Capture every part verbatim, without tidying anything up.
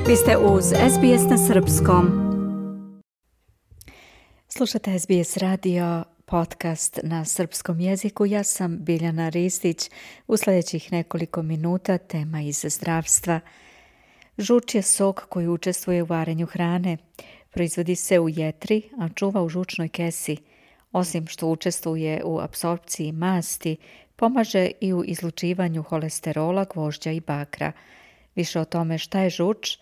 Vi ste uz S B S na srpskom. Slušate S B S radio, podcast na srpskom jeziku. Ja sam Biljana Ristić. U sljedećih nekoliko minuta tema iz zdravstva. Žuč je sok koji učestvuje u varenju hrane. Proizvodi se u jetri, a čuva u žučnoj kesi. Osim što učestvuje u apsorpciji masti, pomaže i u izlučivanju holesterola, gvožđa i bakra. Više o tome šta je žuč,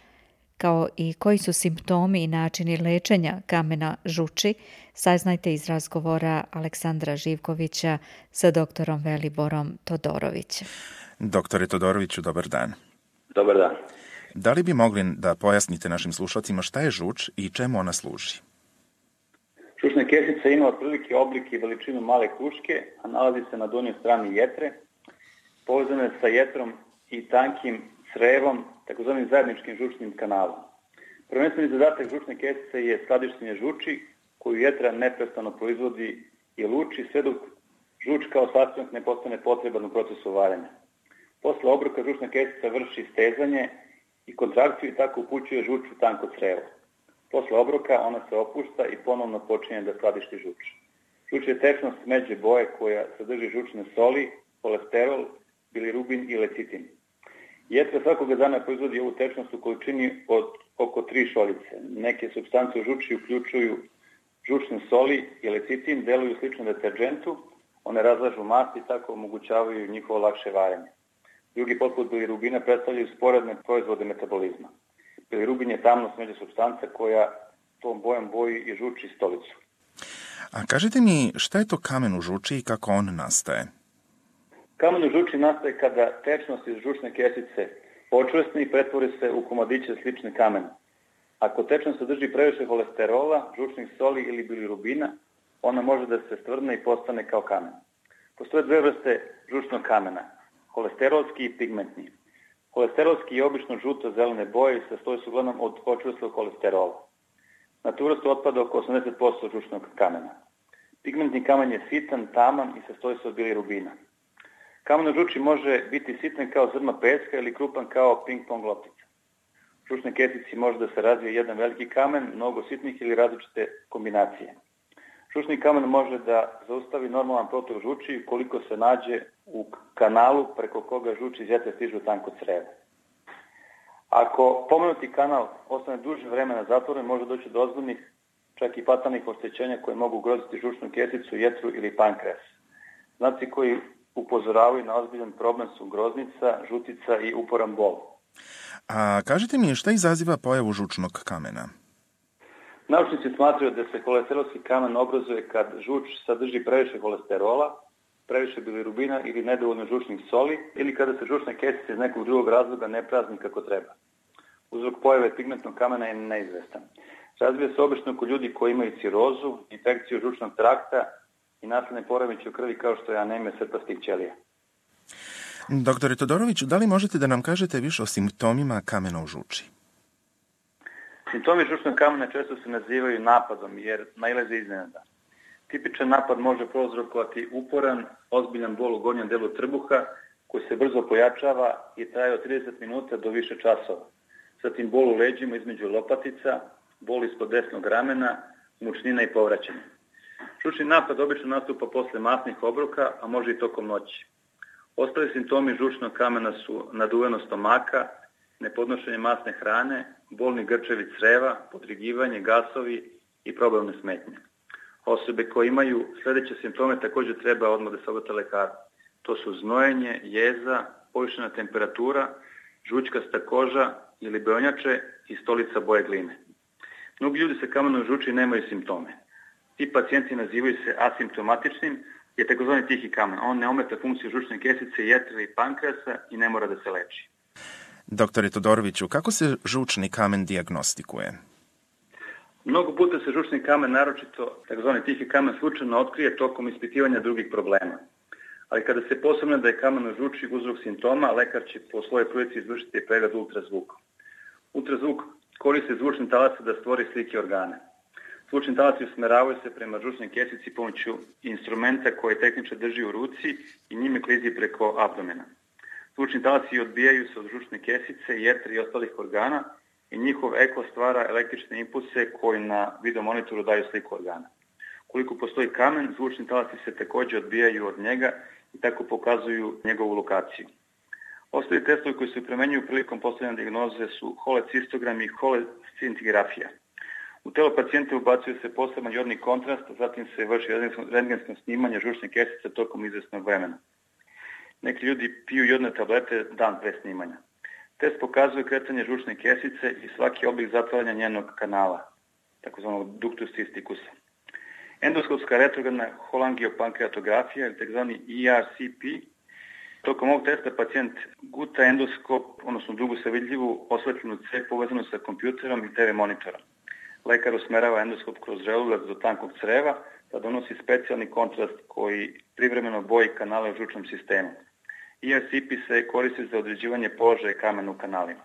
kao i koji su simptomi i načini lečenja kamena žuči, saznajte iz razgovora Aleksandra Živkovića sa doktorom Veliborom Todorovićem. Doktore Todoroviću, dobar dan. Dobar dan. Da li bi mogli da pojasnite našim slušalcima šta je žuč i čemu ona služi? Žučna kesica ima otprilike oblik i veličinu male kruške, a nalazi se na donjoj strani jetre, povezana je sa jetrom i tankim crevom, takozvanim zajedničkim žučnim kanalom. Prvenstveni zadatak žučne kesice je skladištenje žuči, koju jetra neprestano proizvodi i luči, sve dok žuč kao sastanak ne postane potreban u procesu varenja. Posle obroka žučna kesica vrši stezanje i kontrakciju i tako upućuje žuč u tanko crevo. Posle obroka ona se opušta i ponovno počinje da skladišti žuč. Žuč je tečnost smeđe boje koja sadrži žučne soli, holesterol, bilirubin i lecitin. Jetra svakoga dana proizvodi ovu tečnost u količini od oko tri šoljice. Neke supstance u žuči uključuju žučne soli i lecitin, deluju slično deterdžentu, one razlažu masti i tako omogućavaju njihovo lakše varenje. Drugi poput bilirubina predstavljaju sporedne proizvode metabolizma. Bilirubin je tamno smeđa supstanca koja tom bojom boji i žuči stolicu. A kažite mi, šta je to kamen u žuči i kako on nastaje? Kamen u žuči nastaje kada tečnost iz žučne kesice počvrsne i pretvori se u komadiće slične kamena. Ako tečnost sadrži previše holesterola, žučnih soli ili bilirubina, ona može da se stvrdne i postane kao kamen. Postoje dve vrste žučnog kamena, holesterolski i pigmentni. Holesterolski je obično žuto-zelene boje i sastoji se uglavnom od počvrslog holesterola. Na tu vrstu otpada oko osamdeset posto žučnog kamena. Pigmentni kamen je sitan, taman i sastoji se od bilirubina. Kamen u žuči može biti sitan kao zrno peska ili krupan kao ping-pong loptica. U žučnoj kesici može da se razvije jedan veliki kamen, mnogo sitnih ili različite kombinacije. Žučni kamen može da zaustavi normalan protok žuči ukoliko se nađe u kanalu preko koga žuč iz jetre stižu tanko crevo. Ako pomenuti kanal ostane duže vremena zatvoren, može doći do ozbiljnih, čak i fatalnih oštećenja koje mogu ugroziti žučnu kesicu, jetru ili pankreas. Znaci koji upozoravaju na ozbiljan problem su groznica, žutica i uporan bol. A kažite mi, šta izaziva pojavu žučnog kamena? Naučnici smatraju da se holesterolski kamen obrazuje kad žuč sadrži previše holesterola, previše bilirubina ili nedovoljno žučnih soli ili kada se žučna kesica iz nekog drugog razloga ne prazni kako treba. Uzrok pojave pigmentnog kamena je neizvestan. Razvija se obično kod ljudi koji imaju cirozu, infekciju žučnog trakta i nasljedne poremećaje u krvi kao što je anemija srpastih ćelija. Doktore Todoroviću, da li možete da nam kažete više o simptomima kamena u žuči? Simptomi žučnog kamena često se nazivaju napadom jer nailaze iznenada. Tipičan napad može prouzrokovati uporan, ozbiljan bol u gornjem delu trbuha koji se brzo pojačava i traje od trideset minuta do više časova. Zatim bol u leđima između lopatica, bol ispod desnog ramena, mučnina i povraćanje. Žučni napad obično nastupa posle masnih obroka, a može i tokom noći. Ostali simptomi žučnog kamena su naduvenost stomaka, nepodnošenje masne hrane, bolni grčevi creva, podrigivanje, gasovi i probavne smetnje. Osobe koje imaju sljedeće simptome također treba odmah da se obrate lekaru. To su znojenje, jeza, povišena temperatura, žućkasta koža ili beonjače i stolica boje gline. Mnogi ljudi sa kamenom u žuči nemaju simptome. Ti pacijenti nazivaju se asimptomatičnim, je takozvani tihi kamen. On ne ometa funkciju žučne kesice, jetre i pankreasa i ne mora da se leči. Doktore Todoroviću, kako se žučni kamen dijagnostikuje? Mnogo puta se žučni kamen, naročito takozvani tihi kamen, slučajno otkrije tokom ispitivanja drugih problema. Ali kada se posumnja da je kamen u žuči uzrok simptoma, lekar će po svojoj prilici izvršiti pregled ultrazvukom. Ultrazvuk koristi zvučne talase da stvori slike organa. Zvučni talasi usmeravaju se prema žučnoj kesici pomoću instrumenta koje tehničar drži u ruci i njime klizi preko abdomena. Zvučni talasi odbijaju se od žučne kesice, jetre i ostalih organa i njihov eko stvara električne impulse koji na videomonitoru daju sliku organa. Koliko postoji kamen, zvučni talasi se također odbijaju od njega i tako pokazuju njegovu lokaciju. Ostali testovi koji se primenjuju prilikom postavljanja dijagnoze su holecistogram i holescintigrafija. U telo pacijenta ubacuje se poseban jodni kontrast, a zatim se vrši rentgensko snimanje žučne kesice tokom izvesnog vremena. Neki ljudi piju jodne tablete dan pre snimanja. Test pokazuje kretanje žučne kesice i svaki oblik zatvaranja njenog kanala, takozvanog ductus cysticusa. Endoskopska retrogradna holangiopankreatografija, ili takozvani E R C P, tokom ovog testa pacijent guta endoskop, odnosno dugu sa vidljivu osvetljenu cev povezanu sa kompjuterom i te ve monitorom. Lekar usmerava endoskop kroz želudac do tankog creva, da donosi specijalni kontrast koji privremeno boji kanale u žučnom sistemu. E R C P se koristi za određivanje položaja kamena u kanalima.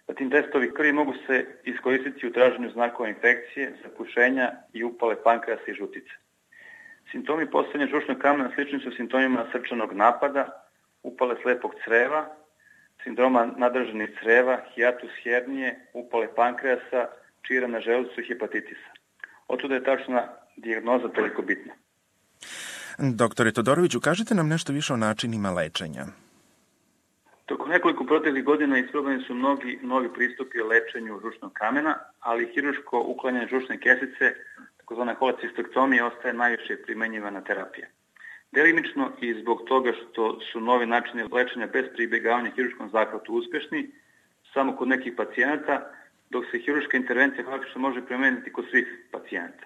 Zatim testovi krvi mogu se iskoristiti u traženju znakova infekcije, zapušenja i upale pankreasa i žutice. Simptomi postojanja žučnog kamena slični su simptomima srčanog napada, upale slepog creva, sindroma nadržanih creva, hijatus hernije, upale pankreasa, čira na želucu i hepatitisa. Otuda je tačna dijagnoza toliko bitna. Doktore Todoroviću, kažite nam nešto više o načinima lečenja. Tokom nekoliko proteklih godina isprobani su mnogi novi pristupi o lečenju žučnog kamena, ali hiruško uklanjanje žučne kesice, takozvana holecistoktomija, ostaje najviše primenjivana terapija. Delimično i zbog toga što su novi načini lečenja bez pribjegavanja hiruškom zahvatu uspešni, samo kod nekih pacijenata, dok se hiruška intervencija praktično može primeniti kod svih pacijenata.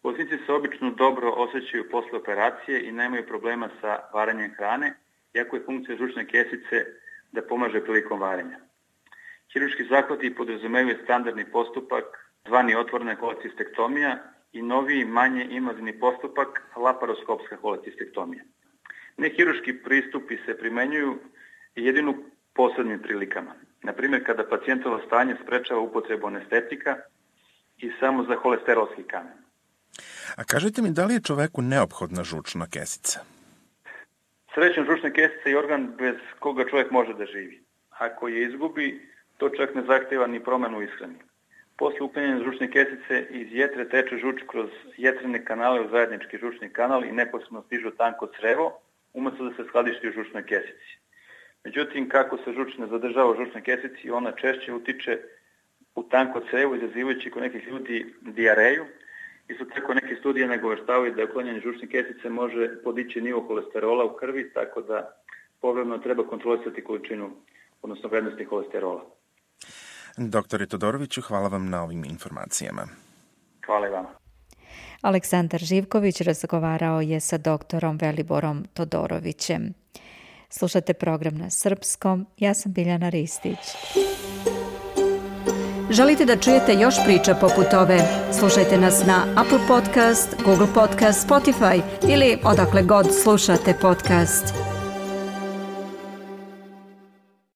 Bolesnici se obično dobro osjećaju posle operacije i nemaju problema sa varanjem hrane, iako je funkcija žučne kesice da pomaže prilikom varenja. Hiruški zahvati podrazumevaju standardni postupak, zvani otvorena holecistektomija, i noviji, manje invazivni postupak, laparoskopska holecistektomija. Nehiruški pristupi se primenjuju jedino u posebnim prilikama. Na primjer, kada pacijentovo stanje sprečava upotrebu anestetika i samo za holesterolski kamen. A kažite mi, da li je čoveku neophodna žučna kesica? Srećom, žučna kesica je organ bez koga čovjek može da živi. Ako je izgubi, to čak ne zahteva ni promenu u ishrani. Posle uklanjanja žučne kesice iz jetre teče žuč kroz jetrene kanale u zajednički žučni kanal i neposredno stižu tanko crevo, umjesto da se skladišti u žučnoj kesici. Međutim, kako se žuč ne zadržava u žučnoj kesici, ona češće utiče u tanko crevo, izazivajući kod nekih ljudi dijareju. Isto tako neke studije nagoveštavaju da uklanjanje žučne kesice može podići nivo holesterola u krvi, tako da povremeno treba kontrolisati količinu, odnosno vrednosti holesterola. Doktore Todoroviću, hvala vam na ovim informacijama. Hvala i vama. Aleksandar Živković razgovarao je sa doktorom Veliborom Todorovićem. Slušate program na srpskom. Ja sam Biljana Ristić. Želite da čujete još priča poput ove? Slušajte nas na Apple Podcast, Google Podcast, Spotify ili odakle god slušate podcast.